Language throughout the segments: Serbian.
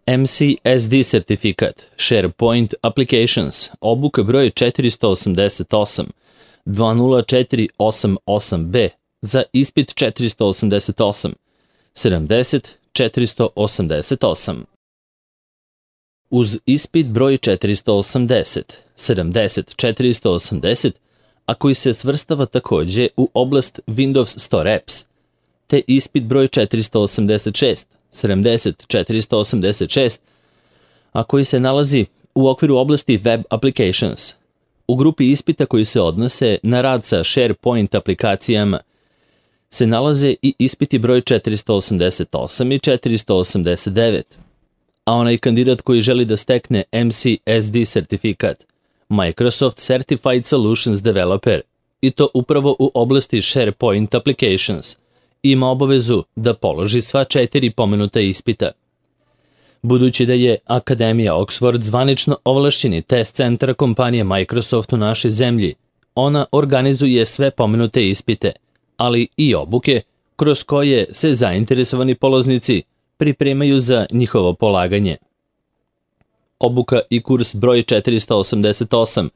MCSD sertifikat, SharePoint Applications, obuka broj 488, 20488B, za ispit 488, 70 488. Uz ispit broj 480, 70 480, a koji se svrstava takođe u oblast Windows Store Apps, te ispit broj 486, 70 486, a koji se nalazi u okviru oblasti Web Applications. U grupi ispita koji se odnose na rad sa SharePoint aplikacijama se nalaze i ispiti broj 488 i 489, a onaj kandidat koji želi da stekne MCSD sertifikat, Microsoft Certified Solutions Developer, i to upravo u oblasti SharePoint Applications, ima obavezu da položi sva 4 pomenuta ispita. Budući da je Akademija Oxford zvanično ovlašćeni test centar kompanije Microsoft u našoj zemlji, ona organizuje sve pomenute ispite, ali i obuke kroz koje se zainteresovani polaznici pripremaju za njihovo polaganje. Obuka i kurs broj 488,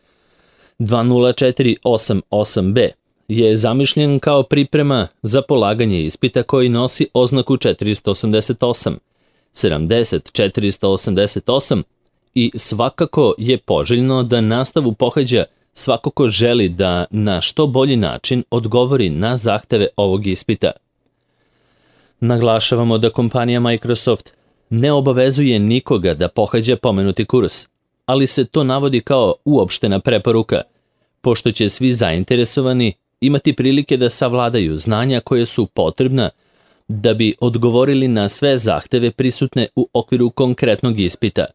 20488B, je zamišljen kao priprema za polaganje ispita koji nosi oznaku 488, 70 488 i svakako je poželjno da nastavu pohađa svako ko želi da na što bolji način odgovori na zahteve ovog ispita. Naglašavamo da kompanija Microsoft ne obavezuje nikoga da pohađa pomenuti kurs, ali se to navodi kao uopštena preporuka, pošto će svi zainteresovani imati prilike da savladaju znanja koje su potrebna da bi odgovorili na sve zahteve prisutne u okviru konkretnog ispita.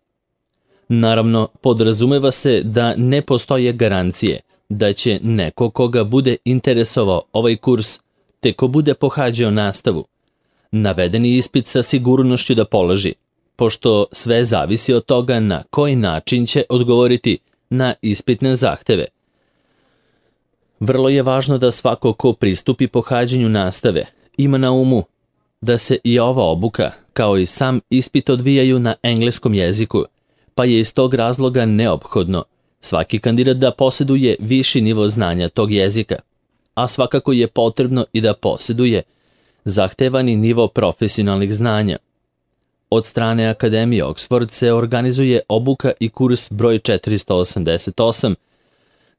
Naravno, podrazumeva se da ne postoje garancije da će neko koga bude interesovao ovaj kurs, te ko bude pohađao nastavu, navedeni ispit sa sigurnošću da položi, pošto sve zavisi od toga na koji način će odgovoriti na ispitne zahteve. Vrlo je važno da svako ko pristupi pohađanju nastave ima na umu da se i ova obuka, kao i sam ispit, odvijaju na engleskom jeziku, pa je iz tog razloga neophodno svaki kandidat da posjeduje viši nivo znanja tog jezika, a svakako je potrebno i da posjeduje zahtevani nivo profesionalnih znanja. Od strane Akademije Oxford se organizuje obuka i kurs broj 488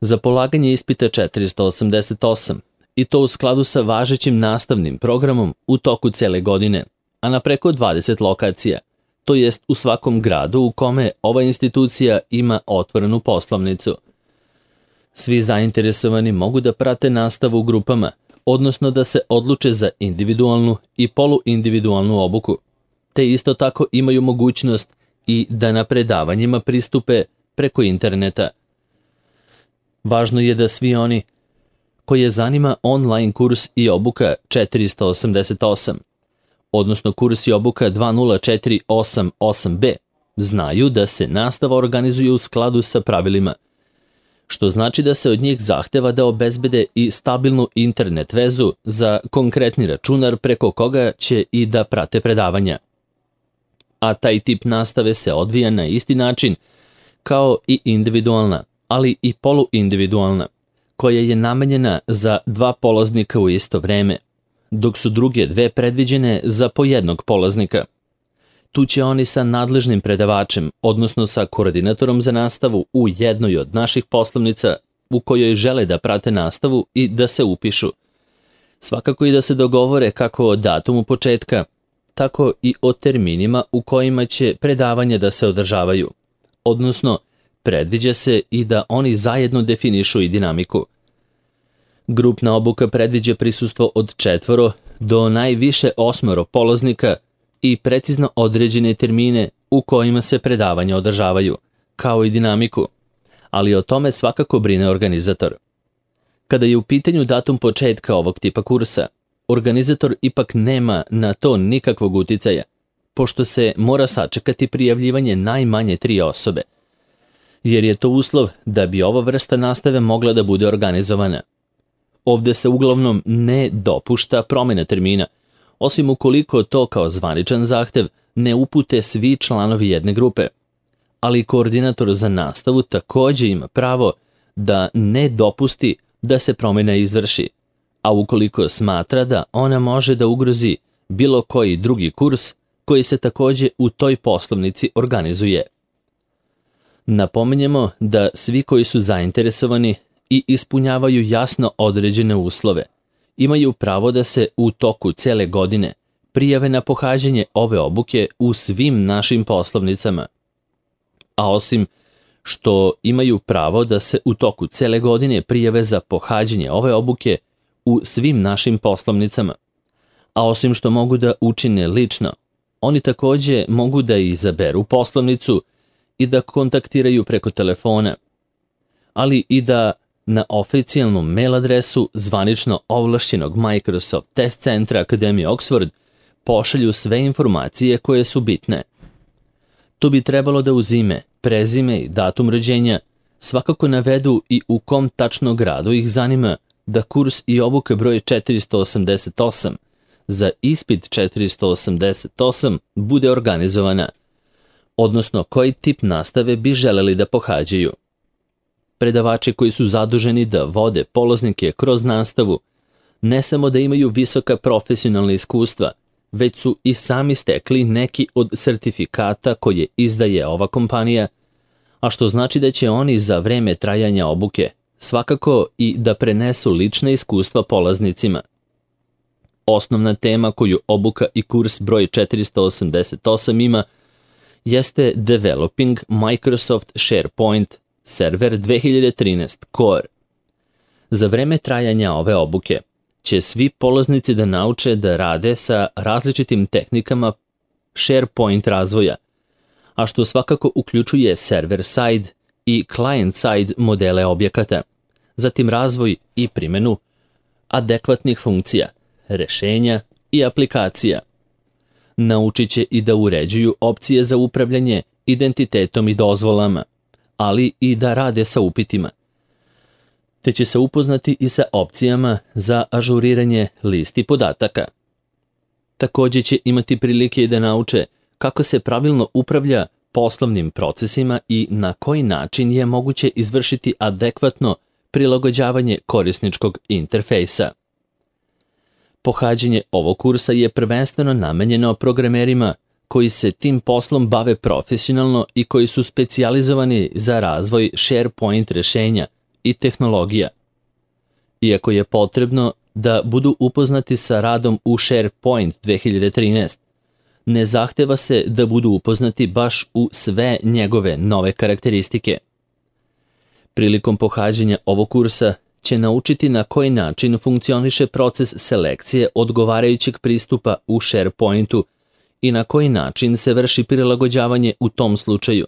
za polaganje ispita 488, i to u skladu sa važećim nastavnim programom u toku cele godine, a na preko 20 lokacija, to jest u svakom gradu u kome ova institucija ima otvorenu poslovnicu. Svi zainteresovani mogu da prate nastavu u grupama, odnosno da se odluče za individualnu i poluindividualnu obuku, te isto tako imaju mogućnost i da na predavanjima pristupe preko interneta. Važno je da svi oni koje zanima online kurs i obuka 488, odnosno kurs i obuka 20488B, znaju da se nastava organizuje u skladu sa pravilima, što znači da se od njih zahteva da obezbede i stabilnu internet vezu za konkretni računar preko koga će i da prate predavanja. A taj tip nastave se odvija na isti način kao i individualna, ali i poluindividualna, koja je namenjena za 2 polaznika u isto vreme, dok su druge 2 predviđene za po jednog polaznika. Tu će oni sa nadležnim predavačem, odnosno sa koordinatorom za nastavu u jednoj od naših poslovnica u kojoj žele da prate nastavu i da se upišu. Svakako i da se dogovore kako o datumu početka, tako i o terminima u kojima će predavanja da se održavaju, odnosno predviđa se i da oni zajedno definišu i dinamiku. Grupna obuka predviđa prisustvo od 4 do najviše 8 polaznika i precizno određene termine u kojima se predavanja održavaju, kao i dinamiku, ali o tome svakako brine organizator. Kada je u pitanju datum početka ovog tipa kursa, organizator ipak nema na to nikakvog uticaja, pošto se mora sačekati prijavljivanje najmanje 3 osobe, jer je to uslov da bi ova vrsta nastave mogla da bude organizovana. Ovde se uglavnom ne dopušta promjena termina, osim ukoliko to kao zvaničan zahtev ne upute svi članovi jedne grupe, ali koordinator za nastavu također ima pravo da ne dopusti da se promjena izvrši, a ukoliko smatra da ona može da ugrozi bilo koji drugi kurs koji se također u toj poslovnici organizuje. Napominjemo da svi koji su zainteresovani i ispunjavaju jasno određene uslove imaju pravo da se u toku cele godine prijave na pohađanje ove obuke u svim našim poslovnicama. A osim što imaju pravo da se u toku cele godine prijave za pohađanje ove obuke u svim našim poslovnicama, a osim što mogu da učine lično, oni također mogu da izaberu poslovnicu i da kontaktiraju preko telefona, ali i da na oficijalnu mail adresu zvanično ovlašćenog Microsoft Test Centra Akademije Oxford pošalju sve informacije koje su bitne. Tu bi trebalo da uz ime, prezime i datum rođenja svakako navedu i u kom tačno gradu ih zanima da kurs i obuka broj 488 za ispit 488 bude organizovana, odnosno koji tip nastave bi želeli da pohađaju. Predavači koji su zaduženi da vode polaznike kroz nastavu ne samo da imaju visoka profesionalna iskustva, već su i sami stekli neki od sertifikata koje izdaje ova kompanija, a što znači da će oni za vreme trajanja obuke svakako i da prenesu lična iskustva polaznicima. Osnovna tema koju obuka i kurs broj 488 ima jeste Developing Microsoft SharePoint Server 2013 Core. Za vreme trajanja ove obuke će svi polaznici da nauče da rade sa različitim tehnikama SharePoint razvoja, a što svakako uključuje server-side i client-side modele objekata, zatim razvoj i primjenu adekvatnih funkcija, rešenja i aplikacija. Naučit će i da uređuju opcije za upravljanje identitetom i dozvolama, ali i da rade sa upitima. Te će se upoznati i sa opcijama za ažuriranje listi podataka. Također će imati prilike da nauče kako se pravilno upravlja poslovnim procesima i na koji način je moguće izvršiti adekvatno prilagođavanje korisničkog interfejsa. Pohađanje ovog kursa je prvenstveno namenjeno programerima koji se tim poslom bave profesionalno i koji su specijalizovani za razvoj SharePoint rešenja i tehnologija. Iako je potrebno da budu upoznati sa radom u SharePoint 2013, ne zahteva se da budu upoznati baš u sve njegove nove karakteristike. Prilikom pohađanja ovog kursa će naučiti na koji način funkcioniše proces selekcije odgovarajućeg pristupa u SharePointu i na koji način se vrši prilagođavanje u tom slučaju.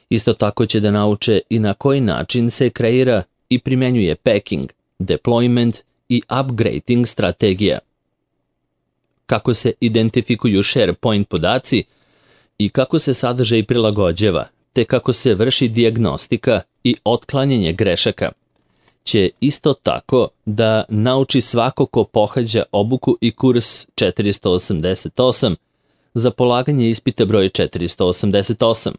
Isto tako će da nauče i na koji način se kreira i primjenjuje packing, deployment i upgrading strategija. Kako se identifikuju SharePoint podaci i kako se sadržaj prilagođava, te kako se vrši dijagnostika i otklanjanje grešaka, će isto tako da nauči svako ko pohađa obuku i kurs 488 za polaganje ispita broj 488.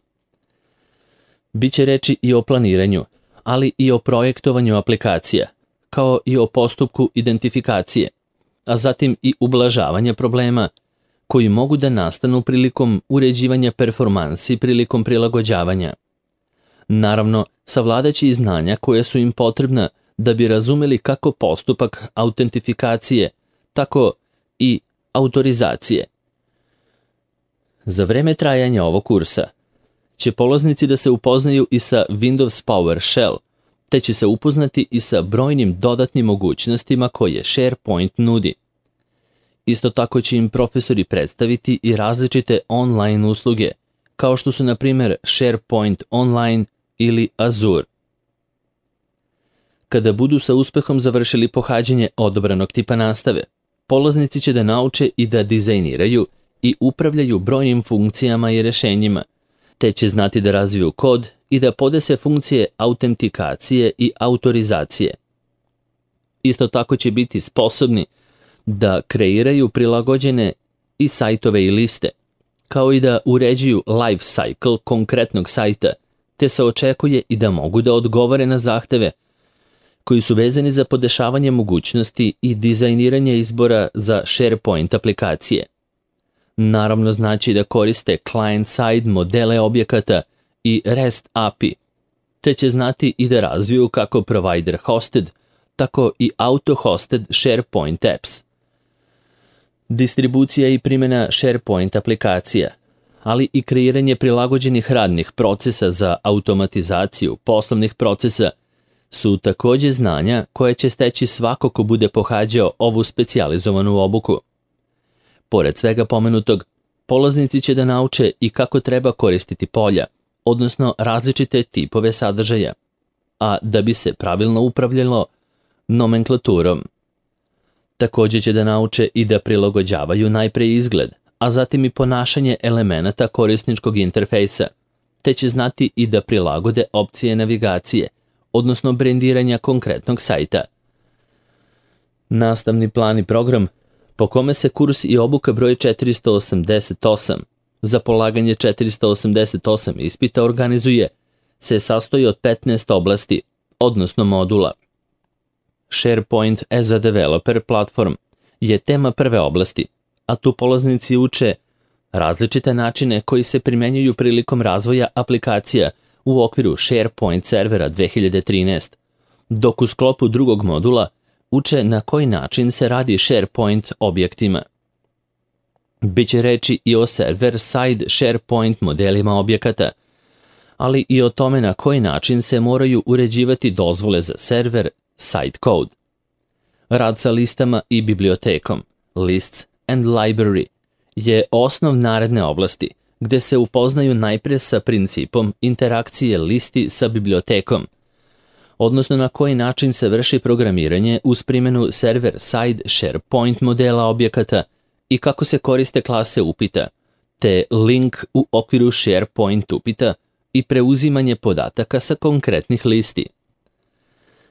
Biće reči i o planiranju, ali i o projektovanju aplikacija, kao i o postupku identifikacije, a zatim i ublažavanja problema koji mogu da nastanu prilikom uređivanja performansi prilikom prilagođavanja. Naravno, savladaće i znanja koje su im potrebna da bi razumeli kako postupak autentifikacije, tako i autorizacije. Za vreme trajanja ovog kursa će polaznici da se upoznaju i sa Windows PowerShell, te će se upoznati i sa brojnim dodatnim mogućnostima koje SharePoint nudi. Isto tako će im profesori predstaviti i različite online usluge, kao što su na primjer SharePoint Online ili Azure. Kada budu sa uspehom završili pohađanje odabranog tipa nastave, polaznici će da nauče i da dizajniraju i upravljaju brojnim funkcijama i rešenjima, te će znati da razviju kod i da podese funkcije autentikacije i autorizacije. Isto tako će biti sposobni da kreiraju prilagođene i sajtove i liste, kao i da uređuju life cycle konkretnog sajta, te se očekuje i da mogu da odgovore na zahteve koji su vezani za podešavanje mogućnosti i dizajniranje izbora za SharePoint aplikacije. Naravno znači da koriste client-side modele objekata i REST API, te će znati i da razviju kako provider hosted, tako i auto-hosted SharePoint apps. Distribucija i primjena SharePoint aplikacija, ali i kreiranje prilagođenih radnih procesa za automatizaciju poslovnih procesa su takođe znanja koje će steći svako ko bude pohađao ovu specijalizovanu obuku. Pored svega pomenutog, polaznici će da nauče i kako treba koristiti polja, odnosno različite tipove sadržaja, a da bi se pravilno upravljalo nomenklaturom. Takođe će da nauče i da prilagođavaju najpre izgled, a zatim i ponašanje elemenata korisničkog interfejsa, te će znati i da prilagode opcije navigacije, odnosno brendiranja konkretnog sajta. Nastavni plan i program po kome se kurs i obuka broj 488 za polaganje 488 ispita organizuje se sastoji od 15 oblasti, odnosno modula. SharePoint as a Developer Platform je tema prve oblasti, a tu polaznici uče različite načine koji se primenjuju prilikom razvoja aplikacija u okviru SharePoint servera 2013, dok u sklopu drugog modula uče na koji način se radi SharePoint objektima. Biće reči i o server-side SharePoint modelima objekata, ali i o tome na koji način se moraju uređivati dozvole za server, site code. Rad sa listama i bibliotekom, lists and library, je osnov naredne oblasti, gde se upoznaju najpre sa principom interakcije listi sa bibliotekom, odnosno na koji način se vrši programiranje uz primjenu server-side SharePoint modela objekata i kako se koriste klase upita, te link u okviru SharePoint upita i preuzimanje podataka sa konkretnih listi.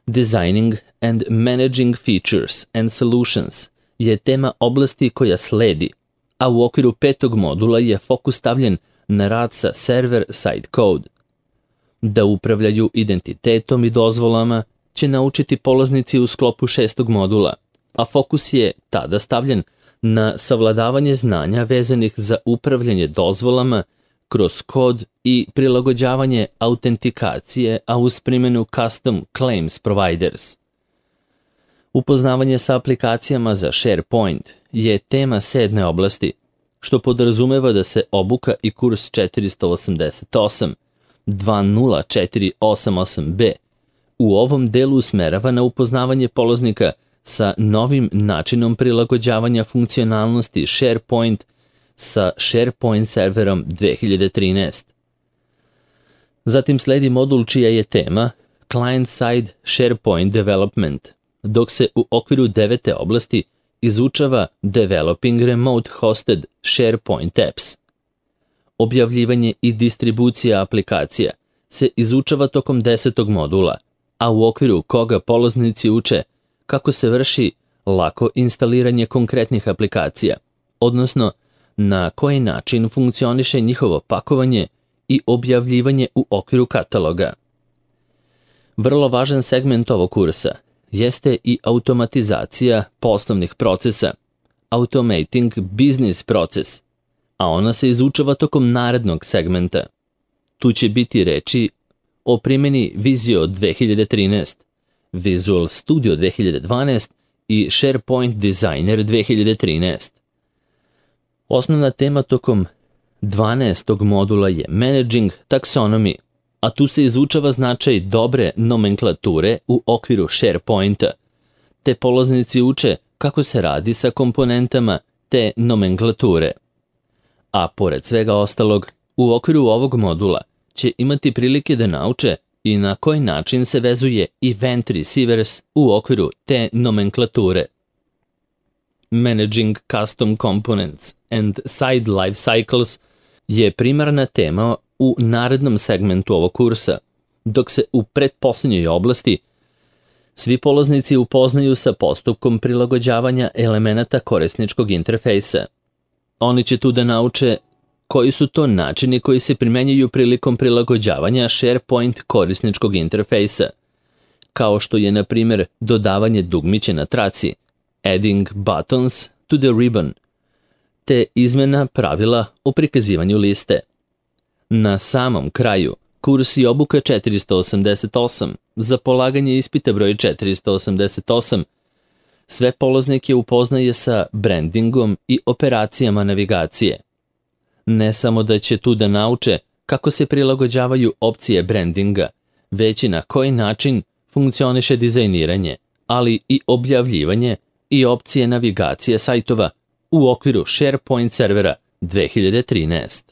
Designing and Managing Features and Solutions je tema oblasti koja sledi, a u okviru 5. modula je fokus stavljen na rad sa server-side code. Da upravljaju identitetom i dozvolama će naučiti polaznici u sklopu 6. modula, a fokus je tada stavljen na savladavanje znanja vezanih za upravljanje dozvolama kroz kod i prilagođavanje autentikacije, a uz primjenu Custom Claims Providers. Upoznavanje sa aplikacijama za SharePoint je tema 7. oblasti, što podrazumeva da se obuka i kurs 488 20488B u ovom delu usmerava na upoznavanje polaznika sa novim načinom prilagođavanja funkcionalnosti SharePoint sa SharePoint serverom 2013. Zatim sledi modul čija je tema Client-Side SharePoint Development, dok se u okviru 9. oblasti izučava Developing Remote Hosted SharePoint Apps. Objavljivanje i distribucija aplikacija se izučava tokom 10. modula, a u okviru koga polaznici uče kako se vrši lako instaliranje konkretnih aplikacija, odnosno na koji način funkcioniše njihovo pakovanje i objavljivanje u okviru kataloga. Vrlo važan segment ovog kursa jeste i automatizacija poslovnih procesa, Automating Business Process, a ona se izučava tokom narednog segmenta. Tu će biti reči o primjeni Visio 2013, Visual Studio 2012 i SharePoint Designer 2013. Osnovna tema tokom 12. modula je Managing Taxonomy, a tu se izučava značaj dobre nomenklature u okviru SharePointa, te polaznici uče kako se radi sa komponentama te nomenklature. A pored svega ostalog, u okviru ovog modula će imati prilike da nauče i na koji način se vezuje Event Receivers u okviru te nomenklature. Managing Custom Components and Side Life Cycles je primarna tema u narednom segmentu ovog kursa, dok se u pretposlednjoj oblasti svi polaznici upoznaju sa postupkom prilagođavanja elemenata korisničkog interfejsa. Oni će tu da nauče koji su to načini koji se primenjuju prilikom prilagođavanja SharePoint korisničkog interfejsa, kao što je, na primjer, dodavanje dugmića na traci, adding buttons to the ribbon, te izmena pravila o prikazivanju liste. Na samom kraju, kurs i obuka 488 za polaganje ispita broj 488 sve polaznike upoznaje sa brandingom i operacijama navigacije. Ne samo da će tu da nauče kako se prilagođavaju opcije brandinga, već i na koji način funkcioniše dizajniranje, ali i objavljivanje i opcije navigacije sajtova u okviru SharePoint servera 2013.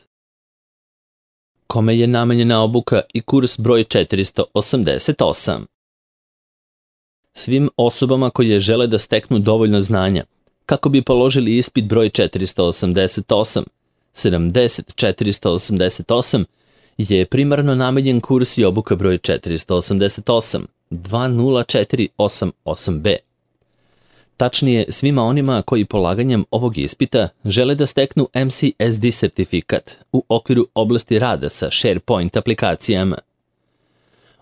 Kome je namenjena obuka i kurs broj 488? Svim osobama koje žele da steknu dovoljno znanja kako bi položili ispit broj 488, 488 je primarno namenjen kurs i obuka broj 488, 20488B. Tačnije, svima onima koji polaganjem ovog ispita žele da steknu MCSD sertifikat u okviru oblasti rada sa SharePoint aplikacijama.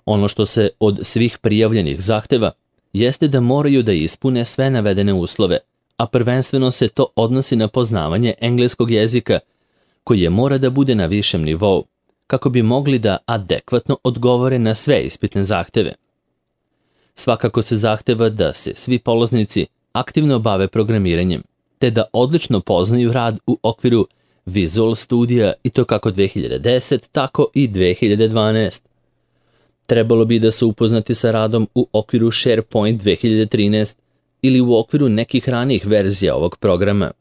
Ono što se od svih prijavljenih zahteva jeste da moraju da ispune sve navedene uslove, a prvenstveno se to odnosi na poznavanje engleskog jezika, koji mora da bude na višem nivou, kako bi mogli da adekvatno odgovore na sve ispitne zahteve. Svakako se zahteva da se svi polaznici aktivno bave programiranjem, te da odlično poznaju rad u okviru Visual Studija i to kako 2010, tako i 2012. Trebalo bi da se upoznati sa radom u okviru SharePoint 2013 ili u okviru nekih ranijih verzija ovog programa.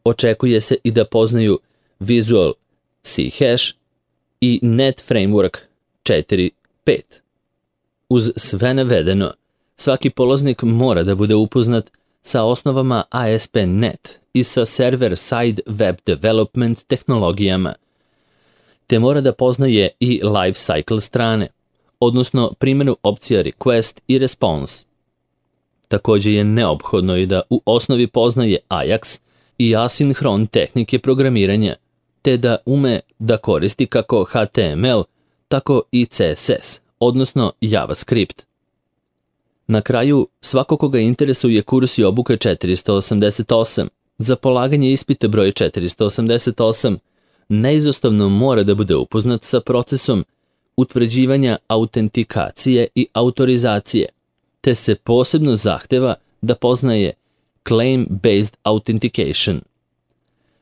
Očekuje se i da poznaju Visual C# i Net Framework 4.5. Uz sve navedeno, svaki polaznik mora da bude upoznat sa osnovama ASP.NET i sa server-side web development tehnologijama, te mora da poznaje i life cycle strane, odnosno primjenu opcija request i response. Također je neophodno i da u osnovi poznaje Ajax i asinhron tehnike programiranja, te da ume da koristi kako HTML, tako i CSS, odnosno JavaScript. Na kraju, svako koga interesuje kurs i obuka 488 za polaganje ispita broj 488 neizostavno mora da bude upoznat sa procesom utvrđivanja autentikacije i autorizacije, te se posebno zahteva da poznaje Claim-Based Authentication.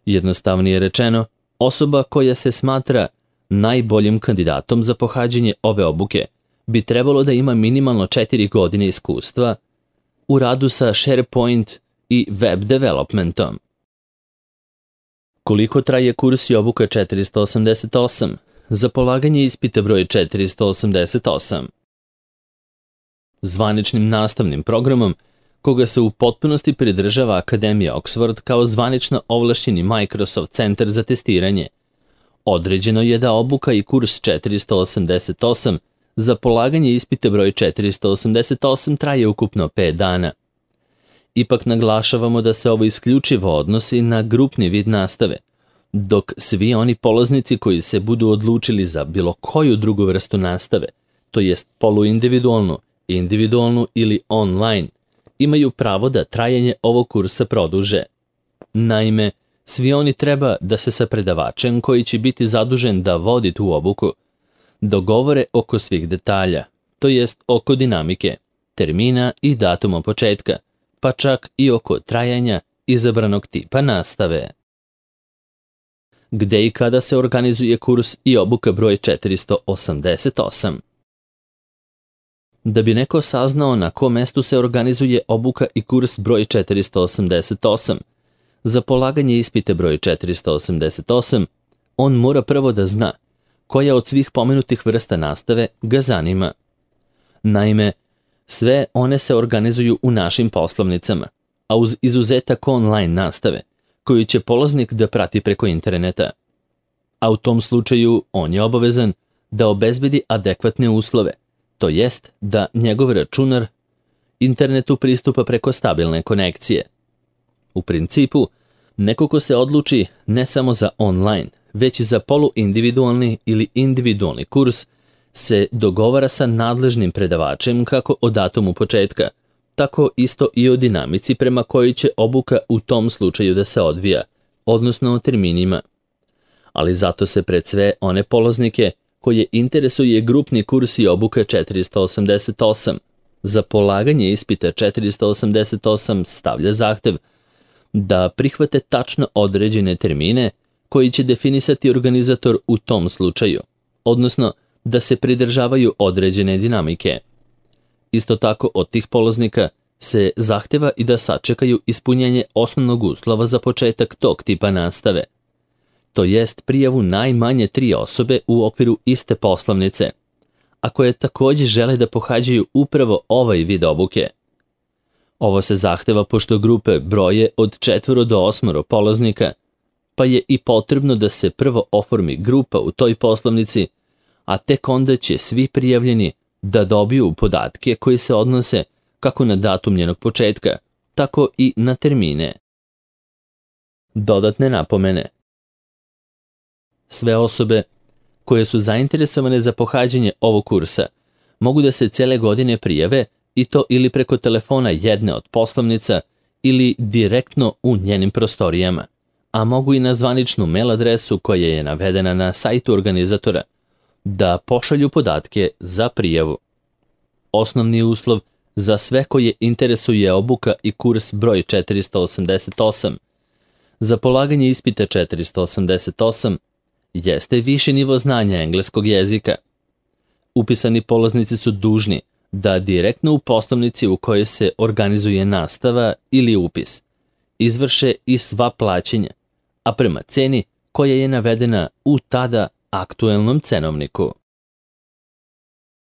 Jednostavnije rečeno, osoba koja se smatra najboljim kandidatom za pohađanje ove obuke bi trebalo da ima minimalno 4 godine iskustva u radu sa SharePoint i web developmentom. Koliko traje kurs i obuka 488 za polaganje ispita broj 488? Zvaničnim nastavnim programom, koga se u potpunosti pridržava Akademija Oxford kao zvanično ovlašćeni Microsoft centar za testiranje, određeno je da obuka i kurs 488 za polaganje ispita broj 488 traje ukupno 5 dana. Ipak naglašavamo da se ovo isključivo odnosi na grupni vid nastave, dok svi oni polaznici koji se budu odlučili za bilo koju drugu vrstu nastave, to jest poluindividualnu, individualnu ili online, imaju pravo da trajanje ovog kursa produže. Naime, svi oni treba da se sa predavačem koji će biti zadužen da vodi tu obuku dogovore oko svih detalja, to jest oko dinamike, termina i datuma početka, pa čak i oko trajanja izabranog tipa nastave. Gde i kada se organizuje kurs i obuka broj 488? Da bi neko saznao na kom mestu se organizuje obuka i kurs broj 488, za polaganje ispita broj 488, on mora prvo da zna koja od svih pomenutih vrsta nastave ga zanima. Naime, sve one se organizuju u našim poslovnicama, a uz izuzetak online nastave, koju će polaznik da prati preko interneta. A u tom slučaju on je obavezan da obezbedi adekvatne uslove, to jest da njegov računar internetu pristupa preko stabilne konekcije. U principu, neko ko se odluči ne samo za online, već za poluindividualni ili individualni kurs se dogovara sa nadležnim predavačem kako o datumu početka, tako isto i o dinamici prema kojoj će obuka u tom slučaju da se odvija, odnosno o terminima. Ali zato se pred sve one polaznike koje interesuje grupni kurs i obuka 488, za polaganje ispita 488 stavlja zahtev da prihvate tačno određene termine koji će definisati organizator u tom slučaju, odnosno da se pridržavaju određene dinamike. Isto tako od tih polaznika se zahteva i da sačekaju ispunjenje osnovnog uslova za početak tog tipa nastave, to jest prijavu najmanje 3 osobe u okviru iste poslovnice, a koje također žele da pohađaju upravo ovaj vid obuke. Ovo se zahteva pošto grupe broje od 4 do 8 polaznika, pa je i potrebno da se prvo oformi grupa u toj poslovnici, a tek onda će svi prijavljeni da dobiju podatke koji se odnose kako na datum njenog početka, tako i na termine. Dodatne napomene. Sve osobe koje su zainteresovane za pohađanje ovog kursa mogu da se cele godine prijave i to ili preko telefona jedne od poslovnica ili direktno u njenim prostorijama, a mogu i na zvaničnu mail adresu koja je navedena na sajtu organizatora da pošalju podatke za prijavu. Osnovni uslov za sve koje interesuje obuka i kurs broj 488 za polaganje ispita 488 jeste viši nivo znanja engleskog jezika. Upisani polaznici su dužni da direktno u poslovnici u kojoj se organizuje nastava ili upis izvrše i sva plaćanja, a prema ceni koja je navedena u tada aktuelnom cenovniku.